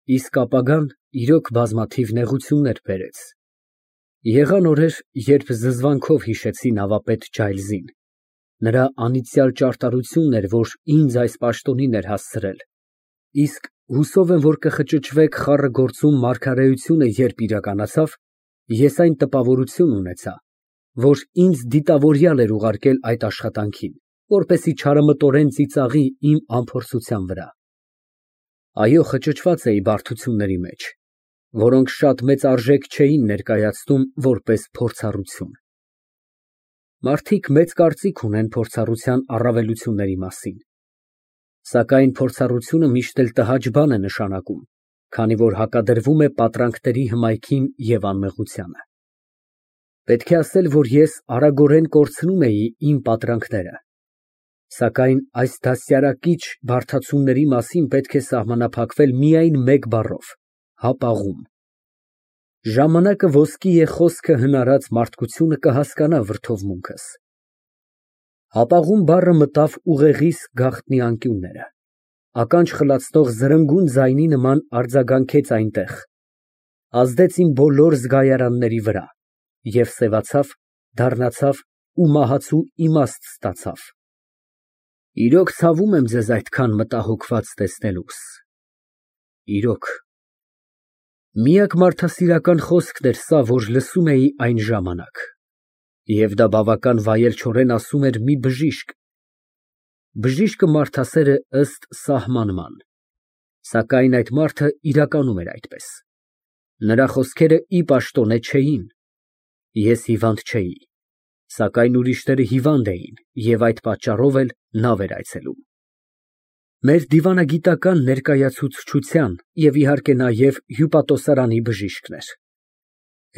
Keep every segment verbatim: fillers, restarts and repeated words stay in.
Իսկ ապագան իրոք բազմաթիվ նեղություններ բերեց։ Եղան օրեր, երբ զզվանքով հիշեցի նավապետ Ջայլզին, նրա անիծյալ ճարտարությունն էր, որ ինձ այս պաշտոնին էր հասցրել, իսկ հուսով եմ, որ կխճճվեք խառը գործում մարգարեությունը երբ իրականացավ, ես այն տպավորություն ունեցա, որ ինձ դիտավորյալ էր ուղարկել այդ աշխատանքին, որպեսզի չարամտորեն ծիծաղի իմ անփորձության վրա։ Այո, խճճված էի բարդությունների մեջ, որոնք շատ մեծ արժեք չէին ներկայացնում որպես փորձառություն։ Մարդիկ մեծ կարծիք ունեն փորձառության առավելությունների մասին, սակայն փորձառությունը միշտ էլ տհաճ բան է նշանակում, քանի որ հակադրվում է պատրանքների հմայքին և անմեղությանը։ Պետք է ասել, որ ես արագորեն կորցնում էի իմ պատրանքները, սակայն այս դաստիարակիչ բարդացումների մասին պետք է սահմանափակվել միայն մեկ բառով՝ հապաղում։ Ժամանակը ոսկի է խոսքը հնարած մարդկությունը կհասկանա վրդովմունքս։ Հապաղում բառը մտավ ուղեղիս գաղտնի անկյունները, ականջ խլացնող զրնգուն ձայնի նման արձագանքեց այնտեղ, ազդեց իմ բոլոր զգայարանների վրա և սևացավ, դառնացավ ու մահացու իմաստ ստացավ։ Իրոք ցավում եմ ձեզ այդքան մտահոգված տեսնելուս։ Իրոք։ Միակ մարդասիրական խոսքն էր սա, որ լսում էի այն ժամանակ, և դա բավական վայելչորեն ասում էր մի բժիշկ։ Բժիշկը մարդասեր է ըստ սահմանման, սակայն այդ մարդը իրականում էր այդպես։ Նրա խոսքերը ի պաշտոնե չէին։ Ես հիվանդ չէի, սակայն ուրիշները հիվանդ էին և այդ պատճառով էլ նավ էր այցելում։ Մեր դիվանագիտական ներկայացուցչության և, իհարկե, նաև հյուպատոսարանի բժիշկն էր։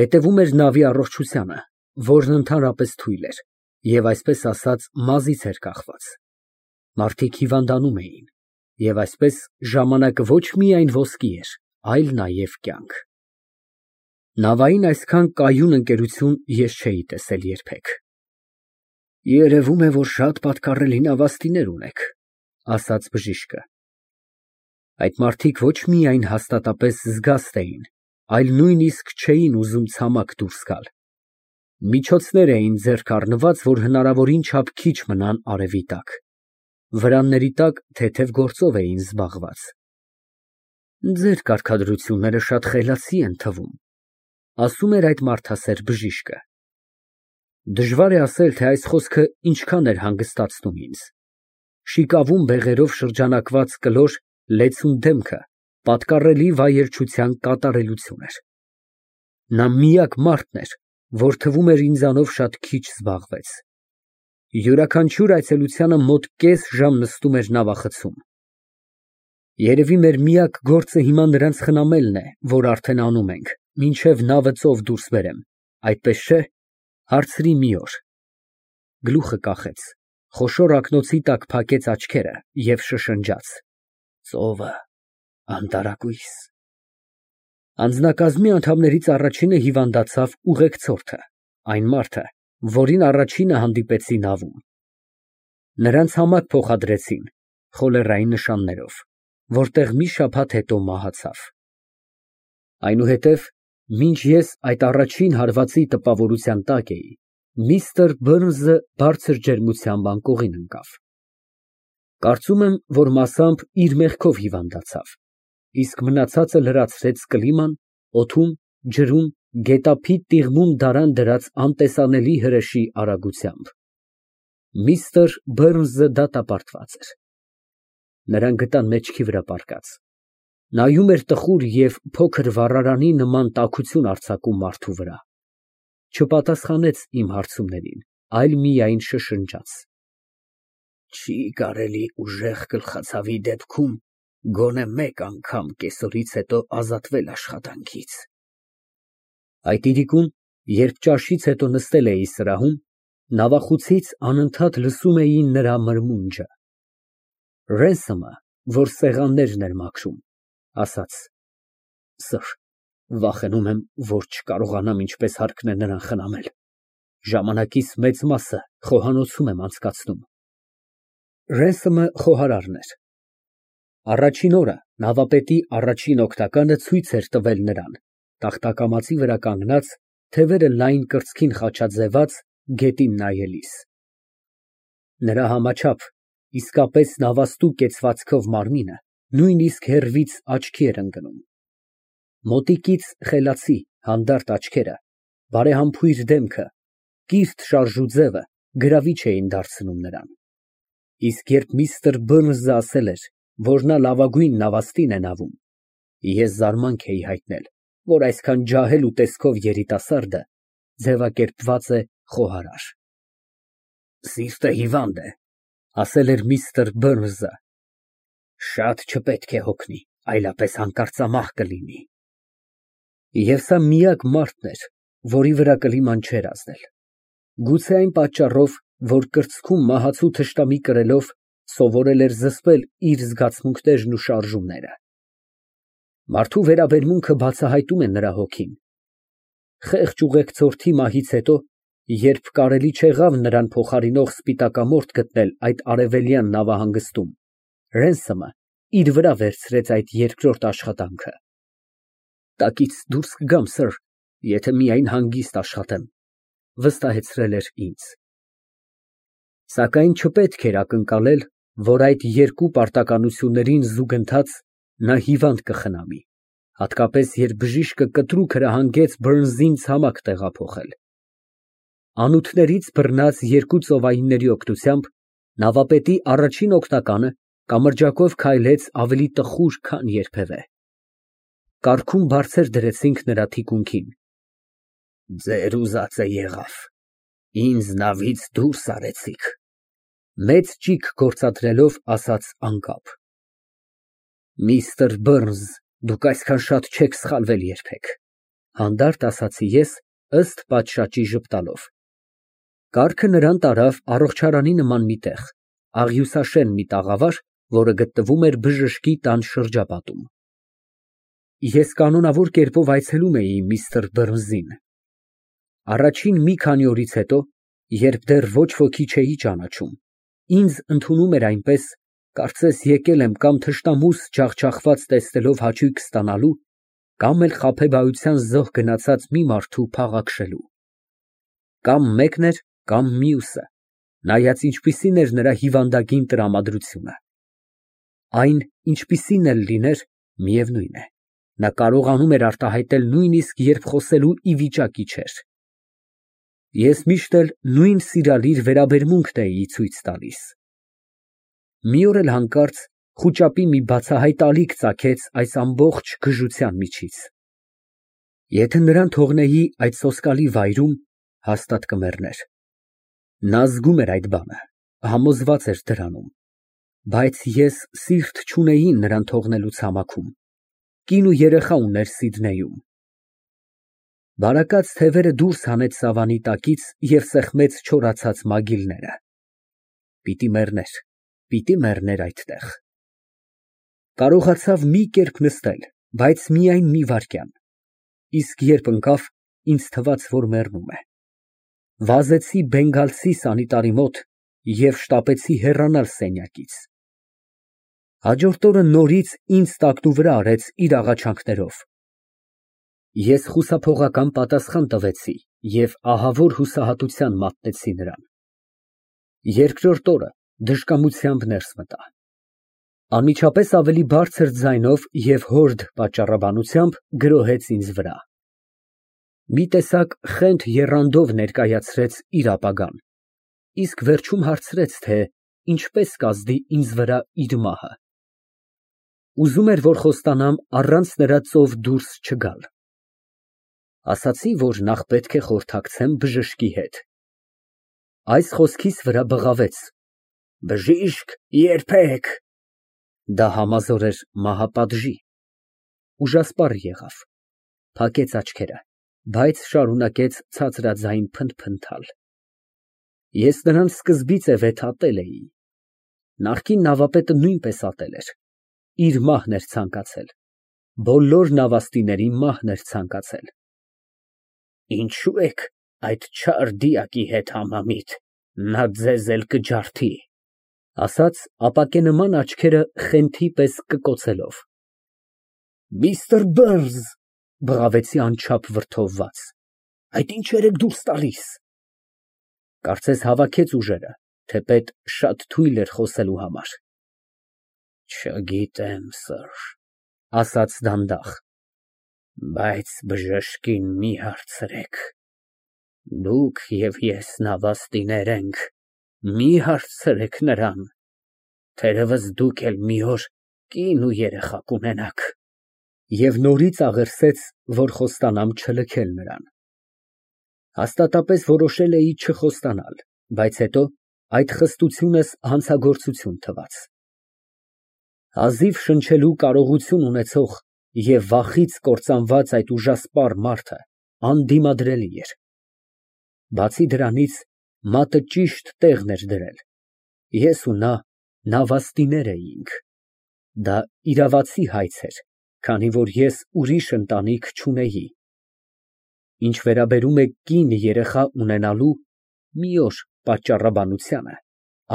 Հետևում էր նավի առողջությանը, որն ընդհանրապես թույլ էր և, այսպես ասած, մազից էր կախված։ Մարդիկ հիվանդանում էին, և այսպես ժամանակը ոչ միայն ոսկի էր, այլ նաև կյանք։ Նավային այսքան կայուն ընկերություն ես չէի տեսել երբեք։ Երևում է, որ շատ պատկառելի նավաստիներ ունեք, ասաց բժիշկը։ Այդ մարդիկ ոչ միայն հաստատապես զգաստ էին, այլ նույնիսկ չէին ուզում ցամաք դուրս գալ։ Միջոցներ էին ձեռք առնված, որ հնարավորին չափ քիչ մնան արևի տակ, վրանների տակ թեթև գործով էին զբաղված։ Ձեր կարգադրությունները շատ խելացի են թվում, ասում էր այդ մարդասեր բժիշկը։ Դժվար է ասել, թե այս խոսքը ինչքան էր հանգստացնում ինձ։ Շիկավուն բեղերով շրջանակված կլոր, լեցուն դեմքը պատկառելի վայելչության կատարելություն էր։ Նա միակ մարդն էր, որ թվում էր ինձանով շատ քիչ զբաղվեց։ Յուրաքանչյուր այցելությանը մոտ կես ժամ նստում էր նավախցում։ Երևի մեր միակ գործը հիմա նրանց խնամելն է, որ արդեն անում ենք, մինչև նավը ծով դուրս բերեմ, այդպես չէ՞, հարցրի մի օր։ Գլուխը կախեց, խոշոր ակնոցի տակ փակեց աչքերը և շշնջաց. Ծովը, անտարակույս։ Անձնակազմի անդամներից առաջինը հիվանդացավ ուղեկցորդը, այն մարդը, որին առաջինը հանդիպեցի նավում։ Նրան ցամաք փոխադրեցին խոլերային նշաններով, որտեղ մի շաբաթ հետո մահացավ։ Այնուհետև, մինչ ես այդ առաջին հարվածի տպավորության տակ էի, միստր Բըրնզը բարձր ջերմությամբ անկողին ընկավ։ Կարծում եմ, որ մասամբ իր մեղքով հիվանդացավ, իսկ մնացածը լրացրեց կլիման, օդում, ջրում, գետափի տիղմում դարան դրած անտեսանելի հրեշի արագությամբ։ Միստր Բըրնզը դատապարտված էր։ Նրան գտան մեջքի վրա պառկած։ Նայում էր տխուր և փոքր վառարանի նման տաքություն արձակում մարդու վրա։ Չպատասխանեց իմ հարցումներին, այլ միայն շշնջաց. Չի կարելի ուժեղ գլխացավի դեպքում գոնե մեկ անգամ կեսօրից հետո ազատվել աշխատանքից։ Այդ իրիկուն, երբ ճաշից հետո նստել էի սրահում, նավախուցից անընդհատ լսում էի նրա մրմունջը։ Ռենսոմը, որ սեղաններն էր մաքրում, ասաց. Սըր, վախենում եմ, որ չկարողանամ ինչպես հարկն է նրան խնամել, ժամանակիս մեծ մասը խոհանոցում եմ անցկացնում։ Ռենսոմը խոհարարն էր։ Առաջին օրը, Նավապետի առաջին օգնականը ցույց էր տվել նրան, տախտակամածի վրա կանգնած, թևերը լայն կրծքին խաչաձևած, գետին նայելիս։ Նրա համաչափ, իսկապես նավաստու կեցվածքով մարմինը նույնիսկ հեռվից աչքի էր ընկնում։ Մոտիկից խելացի, հանդարտ աչքերը, բարեհամբույր դեմքը, կիրթ շարժու ձևը գրավիչ էին դարձնում նրան։ Իսկ երբ միստր Բըրնսը ասել էր, որ նա լավագույն նավաստին է նավում, ես զարմանք էի հայտնել, որ այսքան ջահել ու տեսքով երիտասարդը ձևակերպված է խոհարար։ Սիրտը հիվանդ է, ասել էր միստր Բըրնսը, շատ չպետք է հոգնի, այլապես հանկարծամահ կլինի։ Եվ սա միակ մարդն էր, որի վրա կլիման չէր ազդել։ Գուցե այն պատճառով, որ կրծքում մահացու թշնամի կրելով սովորել էր զսպել իր զգացմունքներն ու շարժումները։ Մարդու վերաբերմունքը բացահայտում է նրա հոգին։ Խեղճ ուղեկցորդի մահից հետո, երբ կարելի չեղավ նրան փոխարինող սպիտակամորթ գտնել այդ արևելյան նավահանգստում, Ռենսոմը իր վրա վերցրեց այդ երկրորդ աշխատանքը։ Տակից դուրս կգամ, սըր, եթե միայն հանգիստ աշխատեմ, վստահեցրել էր ինձ։ Սակայն չպետք էր ակնկալել, որ այդ երկու պարտականություններին զուգընթաց նա հիվանդ կխնամի, հատկապես երբ բժիշկը կտրուկ հրահանգեց Բըրնսին ցամաք տեղափոխել։ Անոթներից բռնած երկու ծովայինների օգնությամբ նավապետի առաջին օգնականը կամրջակով քայլեց ավելի տխուր, քան երբևէ։ Կառքում բարձր դրեցինք նրա թիկունքին։ Ձեր ուզածը եղավ, ինձ նավից դուրս արեցիք, մեծ ճիգ գործադրելով ասաց անկապ։ Միստր Բըրնս, դուք այսքան շատ չեք սխալվել երբեք, հանդարտ ասացի ես, ըստ պատշաճի ժպտալով։ Կառքը նրան տարավ առողջարանի նման մի տեղ, աղյուսաշեն մի տաղավար, որը գտնվում էր բժշկի տան շրջապատում։ Ես կանոնավոր կերպով այցելում էի միստր Բըրնսին։ Առաջին մի քանի օրից հետո, երբ դեռ ոչ ոքի չէի ճանաչում, ինձ ընդունում էր այնպես, կարծես եկել եմ կամ թշնամուս ջախջախված տեսնելով հաճույք ստանալու, կամ էլ խաբեբայության զոհ գնացած մի մարդու փաղաքշելու։ Կամ մեկն էր, կամ մյուսը, նայած ինչպիսին էր նրա հիվանդագին տրամադրությունը։ Այն, ինչպիսին էլ լիներ, միևնույն է, նա կարողանում էր արտահայտել նույնիսկ երբ խոսելու ի վիճակի չէր։ Ես միշտ էլ նույն սիրալիր վերաբերմունքն էի ցույց տալիս։ Մի օր էլ հանկարծ խուճապի մի բացահայտ ալիք ծագեց այս ամբողջ գժության միջից։ Եթե նրան թողնեի այդ սոսկալի վայրում, հաստատ կմեռներ։ Նա զգում էր այդ բանը, համոզված էր դրանում, բայց ես սիրտ չունեի նրան թողնելու ցամաքում, կին ու երեխա ուներ Սիդնեյում։ Բարակած թևերը դուրս հանեց սավանի տակից և սեղմեց չորացած մագիլները։ Պիտի մեռներ, պիտի մեռներ այդտեղ։ Կարողացավ մի կերպ նստել, բայց միայն մի վայրկյան, իսկ երբ ընկավ, ինձ թվաց, որ մեռնում է։ Վազեցի բենգալցի սանիտարի մոտ և շտապեցի հեռանալ սենյակից։ Հաջորդ օրը նորից ինձ տակնուվրա արեց իր աղաչանքներով։ Ես խուսափողական պատասխան տվեցի և ահավոր հուսահատության մատնեցի նրան։ Երկրորդ օրը դժկամությամբ ներս մտա։ Անմիջապես ավելի բարձր ձայնով և հորդ պատճառաբանությամբ գրոհեց ինձ վրա։ Մի տեսակ խենթ եռանդով ներկայացրեց իր ապագան, իսկ վերջում հարցրեց, թե ինչպես կազդի ինձ վրա իր մահը։ Ուզում էր, որ խոստանամ առանց նրա ծով դուրս չգալ։ Ասացի, որ նախ պետք է խորհրդակցեմ բժշկի հետ։ Այս խոսքիս վրա բղավեց. Բժիշկ, երբեք։ Դա համազոր էր մահապատժի։ Ուժասպառ եղավ, փակեց աչքերը, բայց շարունակեց ցածրաձայն փնթփնթալ։ Ես նրան սկզբից է վեթատել էի։ Նախկին նավապետը նույնպես ատել էր։ Իր մահն էր ցանկացել, բոլոր նավաստիների մահն էր ցանկացել։ Ինչո՞ւ եք այդ չար դիակի հետ համամիտ, նա ձեզ էլ կջարդի, ասաց ապակենման աչքերը խենթի պես կկոցելով։ Միստր Բըրնս, բղավեցի անչափ վրդովված, այդ ինչեր եք դուրս տալիս։ Կարծես հավաքեց ուժերը, թեպետ շատ թույլ էր խոսելու համար։ Չգիտեմ, սըր, ասաց դանդաղ, բայց բժշկին մի հարցրեք, դուք և ես նավաստիներ ենք, մի հարցրեք նրան, թերևս դուք էլ մի օր կին ու երեխա կունենաք։ Եվ նորից աղերսեց, որ խոստանամ չլքել նրան։ Հաստատապես որոշել էի չխոստանալ, բայց հետո այդ խստությունս հանցագործություն թվաց։ Հազիվ շնչելու կարողություն ունեցող և վախից կործանված այդ ուժասպառ մարդը անդիմադրելի էր։ Բացի դրանից, մատը ճիշտ տեղն էր դրել, ես ու նա նավաստիներ էինք, դա իրավացի հայց էր, քանի որ ես ուրիշ ընտանիք չունեի։ Ինչ վերաբերում է կին երեխա ունենալու մի օր պատճառաբանությանը,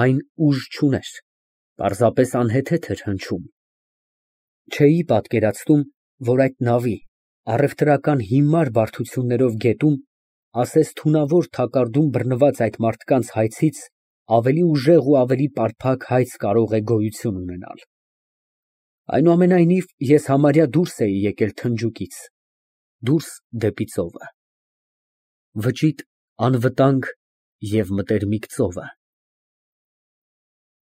այն ուժ չուներ, պարզապես անհեթեթ էր հնչում։ Չէի պատկերացնում, որ այդ նավի, առևտրական հիմար բարդություններով գետում, ասես թունավոր թակարդում բռնված այդ մարդկանց հայցից ավելի ուժեղ ու ավելի պարփակ հայց կարող է գոյություն ունենալ։ Այնուամենայնիվ, ես համարյա դուրս էի եկել Թնջուկից, դուրս դեպի ծովը, վճիտ, անվտանգ և մտերմիկ ծովը։